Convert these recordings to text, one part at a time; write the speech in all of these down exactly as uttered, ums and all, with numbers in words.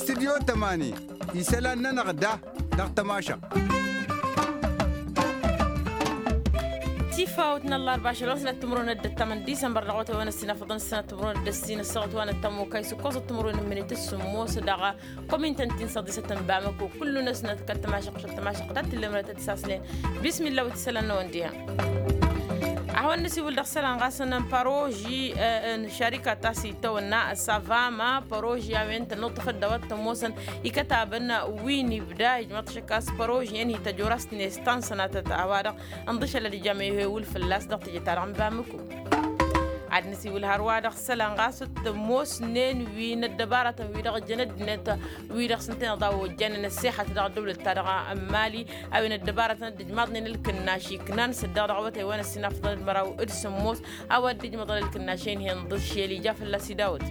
Studyo tămani isălan-nănăɣ da dăɣ-tămašăɣt. Tifawt n-ăllarba ašăl wa n-sănat timǝrwen d-ăttămăn disămbăr dăɣ-awătay wa n-ăssinafăḍăn s-sănat timǝrwen d-ăssin ăssaɣăt wa n-ăttămokay s-ǝkkoẓăt timǝrwen n-imǝnit s-sǝmmos dăɣ-kăwăminten ti n-săḍisăt n-bamăko kullu-năsnăt kăl-tămašăɣt kăl-tămašăɣt ta t-tǝllem rătăt s-aslen. Bismillah wa t-isălan-năwăn diha. A hawăn-nǝsiwǝl dăɣ-isălan ɣas n-paroži n-šarika ta s-itawănna savama paroži a-wen tănnuṭṭăfăt d-a-wa t-ămoosăn ikătabăn wi n-ibda ijmăḍ šăkkas paroži-en hi-tăjorast-net ta n-sănatăt a-wa-dăɣ ǝnḍǝšălăd ijam ehewǝl fălla-s dăɣ-teje-ta-dăɣ n-bamǝko. Ad-nǝsiwǝl hărwa dăɣ-isălan ɣas t-ămoosnen wi n-ăddăbaratăn wi-dăɣ jăn ăddinăt wi-dăɣ s-ǝntăneḍ a ojjanen ăssexăt dăɣ-ăddăwlăt-ta-dăɣ n-mali a-wen ăddăbaratăn dd-ijmaḍnen ǝlkǝnnaš iknan s-ăddeɣ dăɣ-awătay wa n-ăssinafăḍăn d-măraw d-sǝmmos a-wa dd-ijmăḍăn ǝlkǝnnaš-en hi-inḍǝšel ija fălla-s idawăt.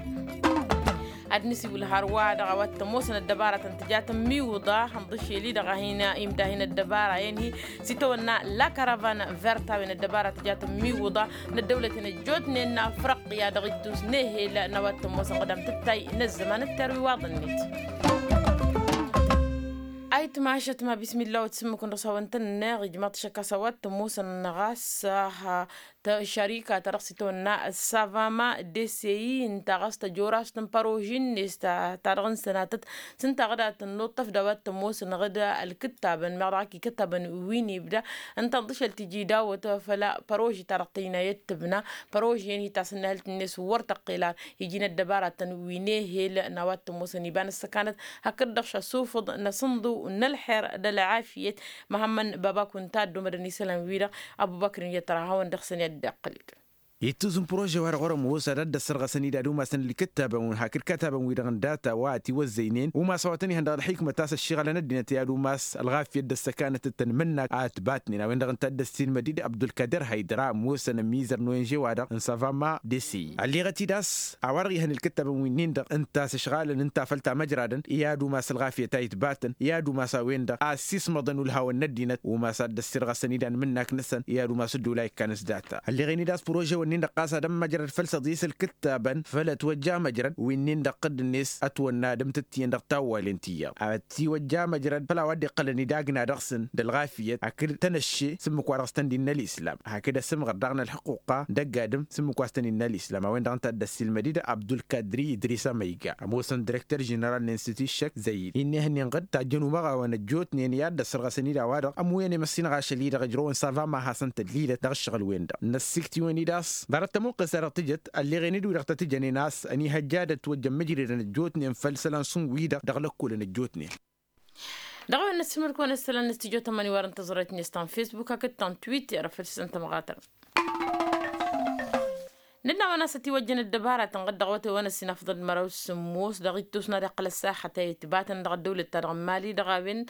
Ad-nǝsiwǝl hărwa dăɣ-a-wa t-ămoosăn ăddăbaratăn tǝja tămmiwǝḍa ǝnḍǝšel-i-dăɣ a hin-imdahin ăddăbara-en-hi s-itawănna la karavan vert a-wen ăddăbara tǝja tămmiwǝḍa n-ăddăwlăten ăjjootnen n-afrăqya dăɣ-ittus n-ehel n-a-wa t-ămoosăn ɣǝdam tǝttay n-ăzzăman d-terwiwaḍ-net. Ayǝtmašăt ma bismillah wa t-sǝmmǝkǝn dăɣ-s hawăn-tăn-neɣ ijmaḍ-t šăkk a-s a-wa t-ămoosăn ɣas. Šarika ta dăɣ-s itawănna savama deseyi ǝnta ɣas tăjorast n-paroži-net ta dăɣ-n sănatăt s-ǝnta ɣǝd a tănnuṭṭăf d-a-wa t-ămoosăn ɣǝd ălkǝttabăn meɣ dăɣ-ak ikǝttabăn wi n-ibda ǝnta ǝnḍǝšăl tiji dawăt făll-paroži ta dăɣ-tăjnayăt tǝbna paroži-en hi-tasǝnnahǝlt-net wăr tăqqel ar iji n-ăddăbaratăn wi n-ehel n-a-wa t-ămoosăn iba n-ăssăkanăt hakd-dăɣ šasufǝḍ n-asǝnḍǝw n-ălxer d-ălɣafyăt. Măhămmăn baba kunta ăddomădăn isălan-wi-dăɣ abubăkr n-iyyăt tăra hawăn-dăɣ-săn i-ad-dd-iqqǝl-dd. Ittus n-prože-wa-dăɣ wăr-ămoos ad-dd-ăssărɣăsăn-dd ad-umasăn ǝlkǝttabăn-win hakd kătabăn-wi-dăɣ n-data wa ătiwăzzăynen umas a-wa tăn-ihăn dăɣ-ălxikmăt a-s ăššiɣălăn ăddinăt i-ad-umas ălɣafyăt d-ăssăkanăt d-tanmǝnnak a ătbatnen a-wen-dăɣ ǝnta a dd-ăssiilmăd-dd abdulkader haydăra ămoosăn ămizăr n-onže-wa-dăɣ n-savama desi ălleɣăt-dd a-s a-wa-dăɣ ihăn ǝlkǝttabăn-winnin-dăɣ ǝnta a-s ǝšɣalăn ǝnta făll-tamăjradăn i-ad-umas ălɣafyăt a itbatăn i-ad-umas a-wen-dăɣ a ăssiismăḍăn ulhawăn n-ăddinăt umas ad-dd-ăssirɣăsăn-dd anmǝnnak-năsăn i-ad-umas ǝddǝwǝl a ikkan s-data ălleɣen-dd a-s prože-wǝnnin-dăɣ ɣas ad-ămmăjrăd făll-săḍis ǝlkǝttabăn făll-ătwăjja amăjrăd wi-nin-dăɣ ɣǝdd-net ătwănna ad-ǝmtǝttǝyăn dăɣ-tawwalen ti iyyăḍ ătiwăjja amăjrăd făll-a-wa dd-iqqălăn idagna dăɣ-săn d-ălɣafyăt hakd tănăšše s-ǝmmǝk wa dăɣ-s tăn-dd-innă ălislam hakd ăsǝmɣăr daɣ n-ălḥuqqa d-ăgg-adǝm s-ǝmmǝk wa s-tăn-innă ălislam a-wen-dăɣ ǝnta a dd-ăssiilmăd-dd abdulkadri idris amăyga ămoosăn direkter ženeral n-institut šăkk zăyid-i n-ehăn inɣǝd tajjăn umăɣawăn ăjjootnen i-ad-dd-ăssărɣăsăn-dd a-wa-dăɣ ămuyăn i-măssinăɣ ašăl-i-dăɣ ǝjrăwăn sava ma hasăn-tăllilăt dăɣ-ǝššăɣǝl-wen-dăɣ n-ăssiktǝywen-dd a-s ḍarăt tamǝnqes-ta-dăɣ tǝjăt ălleɣen-dd wi-dăɣ tăt-ǝjănen a-s ănihăjja ad-ătwăjjăn mǝjredăn ăjjootnen făll-isălan šund-wi-dăɣ dăɣ-lăkkolăn ăjjootnen. Dăɣ-a-wen năssiilmăd-kăwăn isălan n-studyo tămani wa dăɣ-n tăẓrăyt-net ta n-facebook hakd ta n-twitter făll-isălan tămɣatăn. Nǝnn'-awăn a-s ătiwăjjăn ăddăbaratăn ɣǝd dăɣ-awătay wa n-ăssinafăḍăn d-măraw s-sǝmmos dăɣ-ittus n-ad-iqqăl ăssaxăt a itbatăn dăɣ-ăddăwlăt-ta-dăɣ n-mali dăɣ-a-wen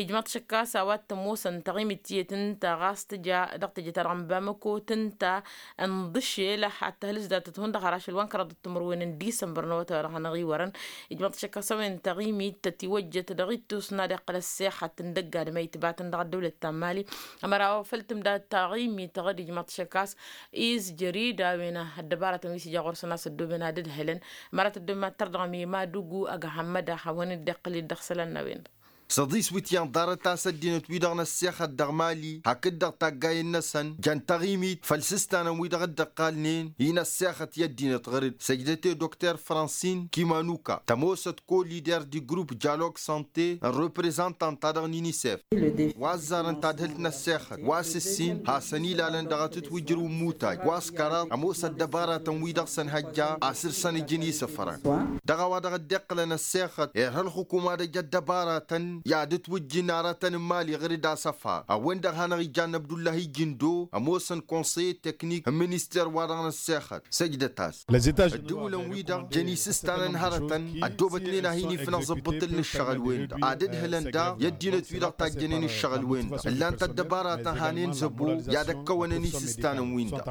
ijmaḍ-t šăkk a-s a-wa t-ămoosăn taɣimit tiyyăt ǝnta ɣas tǝja dăɣ-teje-ta-dăɣ n-bamăko tǝnta ǝnḍǝšel ad-tăhlǝs datăt hundăɣ har ašăl wa n-kăraḍăt timǝrwen n-disămbăr n-awătay wa dăɣ-hanăɣ-iwărăn. Ijmaḍ-t šăkk a-s a-wen taɣimit tătiwăjjăt dăɣ-ittus n-ad-iqqăl ăssexăt n-dăgg-adǝm a itbatăn dăɣ-ăddăwlăt ta n-mali. Ămăra wa făl tǝmda taɣimit ɣǝd ijmaḍ-t šăkk a-s izjăr-dd a-wen ăddăbaratăn wi s-ija ɣur-săn a-s ăddooben ad-ǝdhǝlăn. Ămăra tăddooben ad-tărdăɣăm i-madugu ăgg hămmăda hawăn-dd-iqqǝl-dd dăɣ-isălan n-a-wen-dăɣ. Săḍis wi t-iyyăn ḍarăt a-s ăddinăt-wi-dăɣ n-ăssexăt dăɣ-mali hakd-dăɣ taggayen-năsăn jăn taɣimit făll-isǝstanăn-wi-dăɣ dd-ǝqqalnen i-inăssexăt i-ăddinăt ɣăr-dd săjdăt i-dokter fransin kimanuka tămoosăt ko-lider di grup jalog sante n-reprezantant-ta-dăɣ n-inisef. Wa ăzzarăn tadhǝlt n-ăssexăt wa s-ǝssin hasăn-ilalăn dăɣ-atǝtwǝjrǝw n-imutaj wa s-kăraḍ ămoos ăddăbaratăn-wi-dăɣ s-ănhăjja a săr-săn ǝjǝn isǝfrăn. Dăɣ-a-wa dăɣ-dd-iqqǝlăn ăssexăt irha ălxukuma d-ăj ăddăbaratăn i-ad-ǝtwǝjjǝn aratăn n-imali ɣǝr-dd asăfar a-wen-dăɣ hanăɣ-ijann ăbdullahi jǝndo ămoosăn konsăyye teknik n-minister-wa-dăɣ n-ăssexăt săjdăt-as. Ăddǝwǝlăn-wi-dăɣ jăn isǝstanăn hărătăn ăddoobătnen a hin-ifnăẓ ǝbbǝṭṭǝl n-ǝššăɣǝl-wen-dăɣ ad-ǝdhǝlăn daɣ i-ăddinăt-wi-dăɣ tajjănen ǝššăɣǝl-wen-dăɣ ǝllan-t ăddăbaratăn hanen zăbo i-ad-ăkkăwănăn isǝstanăn-win-dăɣ.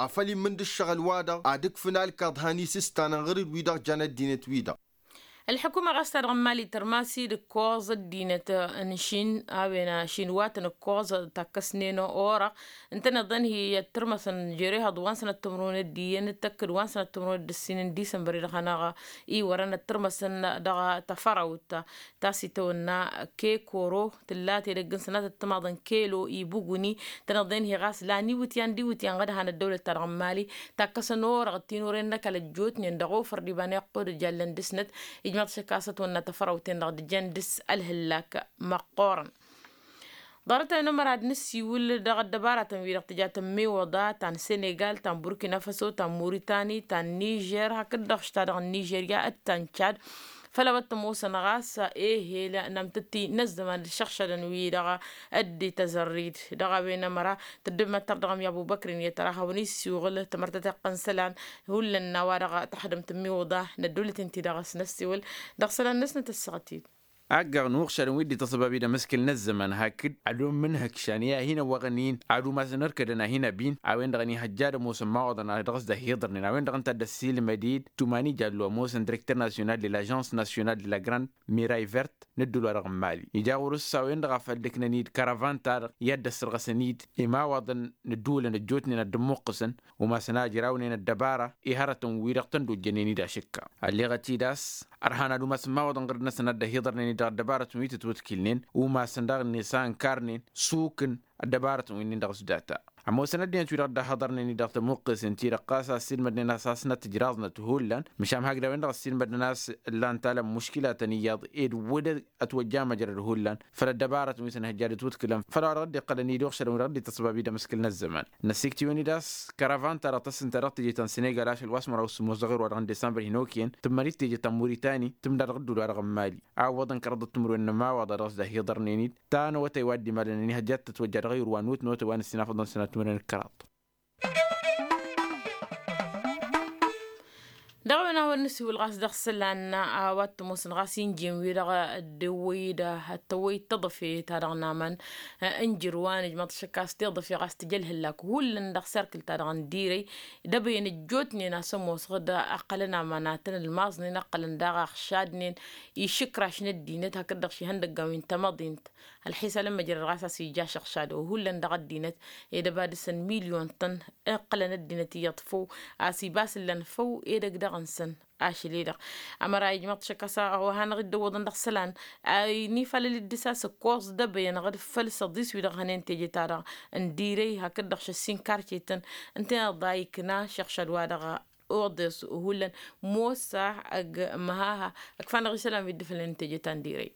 Afăl immǝn d-ǝššăɣǝl-wa-dăɣ ad-ǝkfǝn alkaḍ han isǝstanăn ɣǝr-dd wi-dăɣ jan ăddinăt-wi-dăɣ. Ălḥukuma ɣas ta dăɣ-n mali tărmas-dd ǝkkoẓ ăddinăt n-šin a-wen ašin wa tăn-ǝkkoẓ takkăsnen orăɣ ǝntăneḍ-en hi-ăttărmăsăn jer-ehăḍ wa n-sănăt timǝrwen d-iyyăn d-tăkkăd wa n-sănăt timǝrwen d-ǝssin n-disămbăr-i-dăɣ hanăɣ-iwărăn ăttărmăsăn dăɣ-tafărawt ta s-itawănna kekoro tǝlla tedăgg n-sănatăt timaḍ n-kelo ibuguni. Tăneḍ-en hi ɣas lan iwǝtyan d-iwǝtyan ɣad han ăddăwlăt-ta-dăɣ n-mali takkăsăn orăɣ tinuren n-ăkall ăjjootnen dăɣ-ofăr d-iba n-iqqud ǝjallăn dăɣ-snăt. Ijmaḍ šăkk a-s ătwănna tafărawt-en-dăɣ d-jăn dăɣ-s ălhǝllak măqqoorăn. Ḍarăt-a-wen ămăra ad-nǝssiwǝl dăɣ-ăddăbaratăn-wi-dăɣ tǝja tămmiwăḍa ta n-senegal ta n-burkina faso ta n-muritani ta n-nižer hakd-dăɣ š-ta-dăɣ n-nižerya d-ta n-čad. Făll-a-wa t-ămoosăn ɣas ehel n-amtătti n-ăzzăman d-išăɣšadăn-wi-dăɣ dd-tăzărrid dăɣ-a-wen ămăra tăddǝb măttăr dăɣ-ămya ăbubăkri n-iyyăt ăra hawăn-issiwɣǝl tămărtăteɣt n-isălan. Hullan n-a-wa-dăɣ tăxdăm tămmiwǝḍa n-ăddăwlăt-in-ti-dăɣ s-năssiwǝl dăɣ-isălan-năsnăt ăssaɣăt-dd. Aggăɣ n-uɣšadăn wi dd-ităṣṣăbab-i d-amǝskǝl n-ăzzăman hakd ad-ommǝnhǝkšan i-ad-hin-ăwwăɣăn-in ad-umasăn ărkădăn ad-hin-ăbin a-wen-dăɣ ănihăjja ad-ămoosăn imawaḍăn ad-dăɣ-s dd-ăhiḍărnen a-wen-dăɣ ǝnta a dd-ăssiilmăd-dd tumani jallo ămoosăn direkter nasyonal de lažans nasyonal de la grande miraivert n-ǝddǝl-wa-dăɣ n-mali ija ɣur-s a-wen-dăɣ a făl-dd-ǝknăn-dd kăravant-ta-dăɣ i-ad-dd-ăssărɣăsăn-dd imawaḍăn n-ǝddǝwǝlăn ăjjootnen ad-dd-ămmuqqǝsăn umasăn a ǝjrawnen ăddăbara i-hărătăn-wi-dăɣ tăn-dd-ojjănen-dd ašǝkka. Ălleɣăt-dd a-s ărhan ad-umasăn imawaḍăn ɣǝr-năsăn ad-dd-ăhiḍărnen-dd dăɣ-ăddăbarătăn wi tǝtwǝtkǝlnen umasăn daɣ-net a ǝnkarnen sukǝn ăddăbarătăn wi-nin dăɣ-s data. Ămoosăn ăddinăt wi-dăɣ dd-ăhhăḍărnen-dd dăɣ-tămuqqesen-ti-dăɣ ɣas a ăssiilmădnen a-s a-s năt-ǝjraẓnăt hullan măšan hakd a-wen-dăɣ ăssiilmădnen a-s ǝllan talăm muškǝlatăn iyyăḍ ed wăr-ătwăjja măjrăd hullan făll-ăddăbarătăn wi s-ănhăjja d-ǝtwǝtkǝlăn făll-a-wa dăɣ-dd-iqqălăn-dd uɣšădăn wi dăɣ-dd-ităṣṣăbab-dd amǝskǝl n-ăzzăman. Năssiktǝwăn-dd a-s kăravant-ta-dăɣ tăssǝnta dăɣ-teje ta n-senegal ašăl wa s-măraw s-sǝmmos dăɣ-ewăr wa dăɣ-n disămbăr hin-okăyăn tǝmmărit teje ta n-muritani tǝmda dăɣ-ǝddul wa dăɣ-n mali a ǝwwăḍăn kăraḍăt timǝrwen n-ămawaḍa dăɣ-s dd-ăhiḍărnen-dd ta n-awătay wa dd-imalăn ănihăjja ad-tătwăjja dăɣ-ewăr wa n-wǝtnăwătay wa n-ǝssin afăḍăn sănat timǝrwen d-kăraḍ. Dăɣ-a-wen a hawăn-nǝsiwǝl ɣas dăɣ-isălan a-wa t-ămoosăn ɣas injǝyăn-wi-dăɣ dd-ewwăy-dd ad-tăwwăy d-taḍăfe-ta-dăɣ n-aman ǝnjǝr wa nǝjmăḍ šăkk a-s tiḍăfe ɣas tǝja ălhǝllak hullan dăɣ-serkǝl-ta-dăɣ n-dirăy. D-ebăyăn ăjjootnen a-s ămoosăɣ-dd ǝqqălăn aman ad-tăn-ǝlmaẓnen ǝqqălăn daɣ aɣšadnen išǝkraš n-ăddinăt hakd-dăɣ šihăndăggan wi n-tamăḍint. Ălxisa lămmăjrăd ɣas a-s ija ašăɣšad wa hullan dăɣ-ăddinăt ed ăba dăr-săn milyon-tăn. Iqqălăn ăddinăt iyyăḍ făw a-s iba a-s ǝllan făw edăgg dăɣ-năsăn. Ašăl-i-dăɣ ămăra ijmăḍ šăkk a-s a wa hanăɣ-dd-ăwwăḍăn dăɣ-isălan a inifalăl-dd dăr-s a-s ǝkkoẓ d-ebăyăn ɣǝd făll-săḍis wi-dăɣ hănen teje-ta-dăɣ n-dirăy hakd-dăɣ šăssin karcetăn. Ǝnta-i-dăɣ a ikna šăɣšad-wa-dăɣ oḍes hullan mosa ăgg măhaha ǝkfanăɣ isălan wi dd-fălăn teje ta n-dirăy.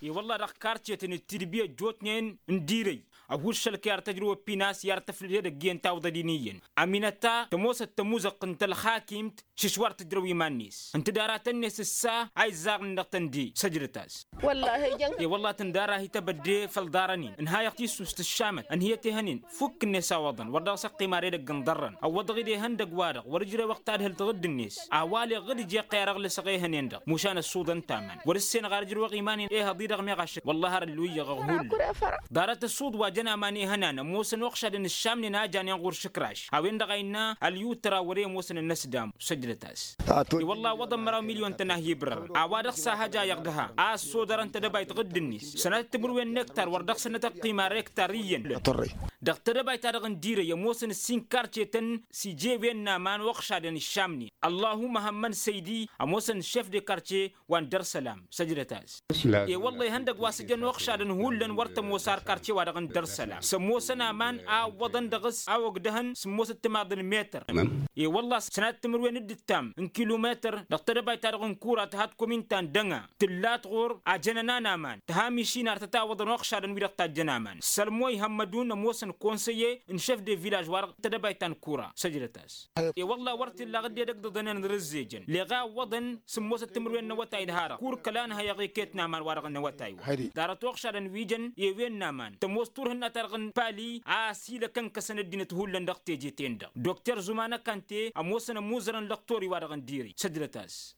I-wălla dăɣ-karcetăn d-tidbi ăjjootnen n-dirăy ăhuššălăk i-ar tăjrăw ăppinas i-ar tăflǝd edăgg iyyăn tawḍăd-in iyyăn ăminăta tămoosăt tămuzăɣt n-tălxakimt šǝšwar tǝjrăw iman-net. Ǝnta d-aratăn-net ǝssa a izzaɣnen dăɣ-tăn-de săjdăt-as. I-wălla tǝndara hi-tebădde făll-iḍarăn-in ǝnhayăɣ tissust ǝššamăt ănhǝyăt ehăn-in fukk-net a wăḍăn wăr dăɣ-s ăqqima ar edăgg n-iḍarrăn ăwwăḍăɣ-dd ehăndăgg-wa-dăɣ wăr-ǝjrewăɣ tadhǝlt ɣǝdd-net a waleɣ ɣǝd ije ăqqăy-arăɣ lăsăɣ ehăn-en-dăɣ mušan ăṣṣuḍăn taman wăr-ǝssenăɣ ar ǝjrewăɣ iman-in ehăḍ-i-dăɣ meɣ ašăk wăllah har ălluyyăɣ ăɣhullăn. Ḍarăt ăṣṣuḍ wa jăn aman ehănan ămoosăn uɣšadăn ǝššamnen a janen ɣur-išǝkraš a-wen-dăɣ a innă ălyutra wăr-e ămoosăn ănnăsdam săjdăt-as. I-wălla a ǝwwăḍăn măraw milyon-tăn a hi-ibrărăn a-wa dăɣ-s a hăj a iyyăɣ dăha a ăssodărăn tedăbayt ɣǝdd-net sănatăt timǝrwen n-ektar wăr dăɣ-săn n-ad-tăqqim ar ektar iyyăn. Dăɣ-tedăbayt-ta-dăɣ n-dirăy ămoosăn ǝssin karcetăn s-ije wen n-aman uɣšadăn ǝššamnen ăllahumma hămmăn săydi ămoosăn šef de karce wa n-dăr-sălam săjdăt-as. I-wălla ihăndăgg wa s-ǝjăn uɣšadăn hullan wăr tămoos ar karce-wa-dăɣ n-dăr-sălam s-ămoosăn aman a ǝwwăḍăn dăɣ-s a ogdăhăn sǝmmosăt timaḍ n-metăr. I-wălla sănatăt timǝrwen d-ǝttam n-kilumetăr dăɣ-tedăbayt-ta-dăɣ n-kura tǝha tikumin ta n-dăŋa tǝllat ɣur-ajănănan aman tǝha mišin ar tătawăḍăn uɣšadăn wi-dăɣ tajjăn aman sălmoy hămmădun ămoosăn konsăye n-šef de vilaž-wa-dăɣ tedăbayt ta n-kura săjdăt-as. I-wălla wăr t-illa ɣǝd edăgg d-iḍănen ărǝzzejăn leɣ a ǝwwăḍăn sǝmmosăt timǝrwen n-awătay d-harăɣ kur kăla ănhăyăɣ iket n-aman-wa-dăɣ n-awătay-wa. Ḍarăt uɣšadăn wi jăn i-wen n-aman tămoos turh n-ad-tarɣ n-pali a ăsilăkăn-kăsăn ăddinăt hullan dăɣ-teje-ten-dăɣ dokter zumanăkante ămoosăn ămuzărăn lăqtori-wa-dăɣ n-diri săjdăt-as.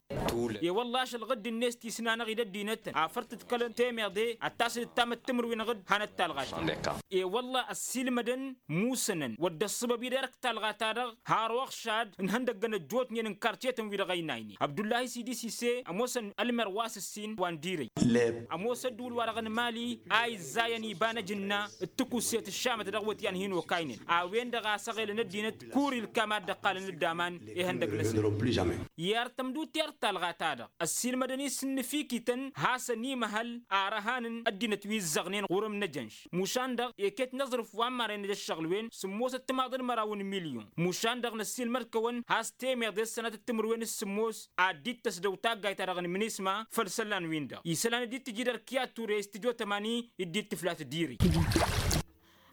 I-wălla-š ălɣǝdd-net ti s-nanăɣ-dd ăddinătăn afăr tǝdkălăn temeḍe ad-tasǝd d-tamăttǝmrǝwen ɣǝd hanăt-talɣa. I-wălla ăssiilmădăn musănăn wăr dd-ăṣṣăbăb-i derăk talɣa-ta-dăɣ har oɣšad n-ihăndăggăn ăjjootnen n-karcetăn-wi-dăɣ ăynaynen abdullahi sidisise ămoosăn ălmer wa s-ǝssin wa n-dirăy. Ămoos ădduul-wa-dăɣ n-mali a izzayăn iba n-ajǝnna d-tǝkuset ǝššamăt dăɣ-wăt i-ad-hin-okaynen a-wen-dăɣ a săɣelăn ăddinăt kuri ǝlkam a dd-ăqqalăn d-aman. Ihăndăg-năsăn i-ar tămdut i-ar talɣa-ta-dăɣ ăssiilmădăn isǝnnǝfikităn hasăn-imăhăl ar ăhanăn ăddinăt wi ǝzzăɣnen ɣur-ǝmnăjănš mušan-dăɣ iket n-aẓrǝf wa n-marăy n-ăj ăššăɣǝl-wen sǝmmosăt timaḍăn măraw n-milyon. Mušan-dăɣ năssiilmăd-kăwăn has-temeḍe s-sănatăt timǝrwen s-sǝmmos ad-dd-tăsdăw taggayt-ta-dăɣ n-minisma făll-isălan-win-dăɣ isălan dd-tǝjǝd ărkǝy ad-ture s-tijo tămani dd-tǝflat diri.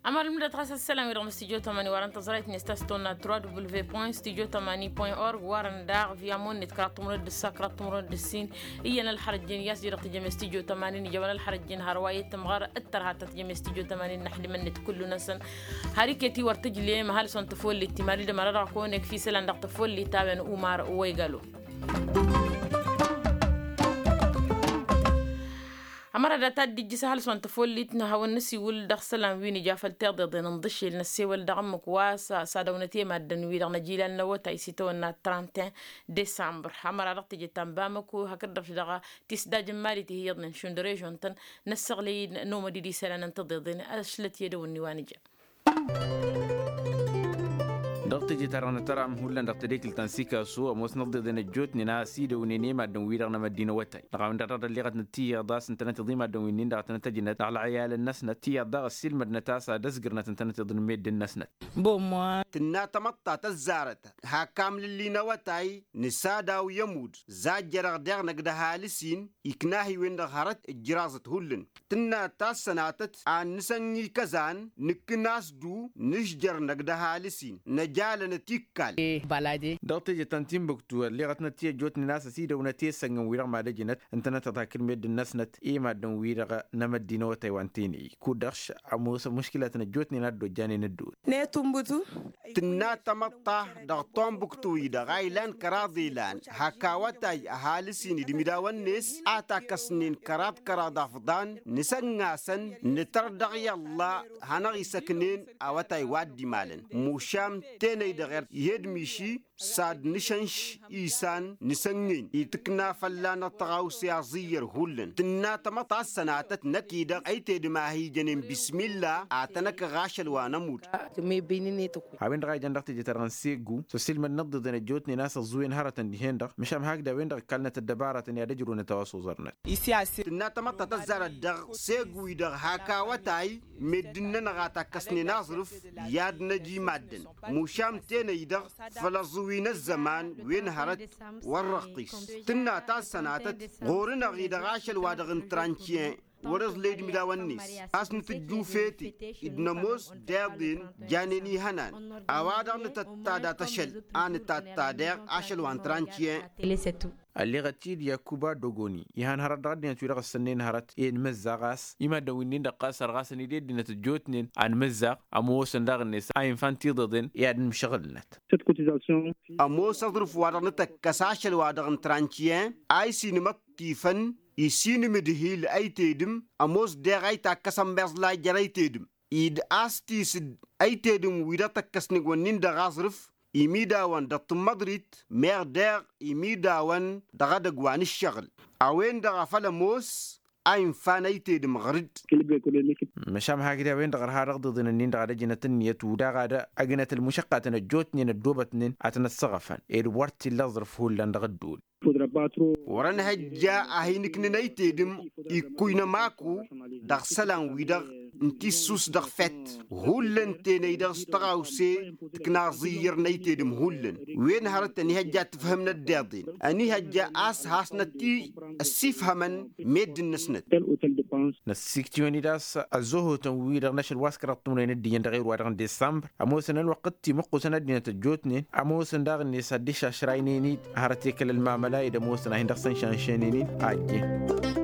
Ămăra ǝlmǝdăt ɣas ăssălan-wi-dăɣ n-stujo tămani wa dăɣ-tăẓrayt-net ta s-tonna trois w point stujo tămani point org wa dăɣ-via monnet kăraḍ timǝrwen d-ǝssa kăraḍ timǝrwen d-ǝssin. Iyyăn ălxărăjjen i-a-s dd-tǝjăm i-stujo tămani n-ijawăn ălxărăjjen har wa i-tǝmɣăr d-tărha ta tǝjăm i-stujo tămani n-năḥdǝmăn-net kullu-năsăn. Har iket-i wăr tǝjlem ăhalǝs wa n-tăfollit timali d-ămăra dăɣ-kăwăn-ekf isălan dăɣ-tăfollit a-wen umar wa igalo. Ămăra data dd-ijjǝs ăhalǝs wa n-tăfollit n-ad-hawăn-nǝsiwǝl dăɣ-isălan wi nǝja făll-tiḍeḍen n-iḍǝššel năssewăl dăɣ-ǝmmǝk wa s-ad-ăwnăt i-maddǝn-wi-dăɣ n-ajilal n-awătay s-itawănna trente. Décembre ămăra dăɣ-teje ta n-bamăko hakd-dăɣ-š dăɣ-tisdaj n-mali tihiyyăḍnen šund režion-tăn năssăɣlăy-dd n-omădid isălan n-tiḍeḍen. Ašlăt i-edăwǝnni wa nǝja. Dăɣ-teje-ta-dăɣ nǝtăram hullan dăɣ-tedekǝlt ta n-sikasu ămoosnăt ăḍḍeḍen ăjjootnen a ăsidăwnen i-maddǝn-wi-dăɣ n-amăddinăwătay dăɣ-a-wen-dăɣ dăɣ-dălliɣătnăt tiyyăḍ a-s ǝntănăt iḍimaddǝn wi-nin-dăɣ a tănăt-ăjnăt dăɣ-lăɣyalăn-năsnăt tiyyăḍ daɣ ăssiilmădnăt a-s ad-ăzgǝrnăt ǝntănăt iḍǝn meddǝn-năsnăt. Tǝnna tamăḍta tăzzarăt hak amlǝlli n-awătay nǝsadaw i-ămudd zajjărăɣ daɣ năgg d-ăhalǝs-in ikna-hi-wen-dăɣ hărăt ǝjjǝraẓăt hullan. Tǝnna tassănatăt ad-nǝsănni kăzan nǝkkǝn a-s du nǝžjăr năgg d-ăhalǝs-in năjalănăt ikkall. Dăɣ-teje ta n-timbuktu ălleɣătnăt ti ăjjootnen a-s ăsidăwnăt i-sănnăn-wi-dăɣ mad-ăjnăt ǝntănăt-ăḍhakǝl meddǝn-năsnăt i-maddǝn-wi-dăɣ n-amăddinăwătay wa n-tenăy kud-dăɣ-š ămoosăn muškǝlatăn ăjjootnen a dd-ojjanen ădduul. Tǝnna tamăḍt ta dăɣ-tombuktu-i-dăɣ a ilan kăraḍ ilan hak awătay ăhalǝs-in d-imidawăn-net a takkăsnen kăraḍ kăraḍ afḍan nǝsăngasăn nǝtăr dăɣ-i ălla hanăɣ-isăknen awătay wa dd-imalăn. Mušam tenăy-dăɣ ed-miši s-ad-nǝšănš isan nǝsănnăyăn itǝkna fălla-năɣ tăɣawse aẓǝyyăr hullan tǝnna tamăḍt ta s-sănatăt năkk-i-dăɣ ăytedăm a hi-jănen bismilla ad-tăn-ăkăɣ ašăl wa n-ămudd. A-wen-dăɣ a ijăn dăɣ-teje-ta-dăɣ n-seggu s-ăssiilmădnăt d-iḍen ăjjootnen a-s ăẓẓuwen hărătăn dihen-dăɣ măšan hakd a-wen-dăɣ ǝkkalnăt ăddăbarătăn i-ad-ǝjrăwnăt a-wa s-oẓărnăt. Tǝnna tamăḍt ta tăzzarăt dăɣ-seggu-i-dăɣ hak awătay meddǝn-nănăɣ a takkăsnen aẓrǝf i-ad-năj i-maddǝn. Mušam tenăy-dăɣ făll-ăẓẓǝwi n-ăzzăman wen hărăt wăr răqqis. Tǝnna ta s-sănatăt ɣur-năɣ-i-dăɣ ašăl-wa-dăɣ n-trantiyen wăr-iẓled imidawăn-net a-s nǝtǝjjufet-i d-nămoos deḍen janen ihănan. A-wa-dăɣ nǝtătta dat-ašăl a nǝtatta deɣ ašăl wa n-trantiyen. Ălleɣăt-dd yakuba dogoni ihan hărăt dăɣ-ăddinăt-wi-dăɣ ǝssănnen hărăt i-inmǝzza ɣas i-maddǝn wi-nin-dăɣ ɣas ărɣasăn-dd i-ăddinăt ăjjootnen anmǝzza ămoosăn daɣ-net a infan tiḍeḍen i-ad-ǝmšăɣǝlnăt. Ămoos aẓrǝf-wa-dăɣ nǝtăkkăs ašăl-wa-dăɣ n-trantiyen a isinmăṭṭifăn isinmǝdhil ăytedǝm ămoos deɣ a itakkăsăn meẓlay jer-ăytedǝm-i d-a-s tisǝd ăytedǝm wi-dăɣ tăkkăsnen wănnin dăɣ-aẓrǝf imidawăn dăɣ-tǝmmăḍrit meɣ deɣ imidawăn dăɣ-edăgg wa n-ǝššăɣǝl. A-wen-dăɣ a făl ămoos a infan ăytedǝm ɣăr-dd. Măšan hakd a-wen-dăɣ ărha dăɣ-iḍeḍen-ǝnnin-dăɣ ad-ăjnăt ǝnniyăt udaɣ ad-ăgnăt ălmušăqqatăn ăjjootnen ăddoobătnen ad-tăn-ăssăɣăfăn ed wăr t-illa aẓrǝf hullan dăɣ-ădduul. Wăr-ănhăjja a hin-ǝknǝn ăytedǝm ikkuy n-ămaku dăɣ-isălan-wi-dăɣ n-tissus dăɣ-fett. Hullan tenăy-dăɣ s-tăɣawse tǝkna aẓǝyyăr n-ăytedǝm hullan wen hărăt ănihăjja ad-tǝfhǝmnăt deḍen ănihăjja a-s hasnăt-ti ăssifhămăn meddǝn-năsnăt. Năssiiktiwăn-dd a-s ăzzohotăn-wi-dăɣ n-ašăl wa s-kăraḍ timǝrwen d-iyyăn dăɣ-erwa-dăɣ n-desambăr ămoosăn ălwăqq d-timǝqqusăn ăddinăt ăjjootnen ămoosăn daɣ-net ad-dd-išašraynen-dd hărăt i-kăl-ălmamăla ed ămoosăn a hin-dăɣ-săn šanšănen-dd a ăjjeen.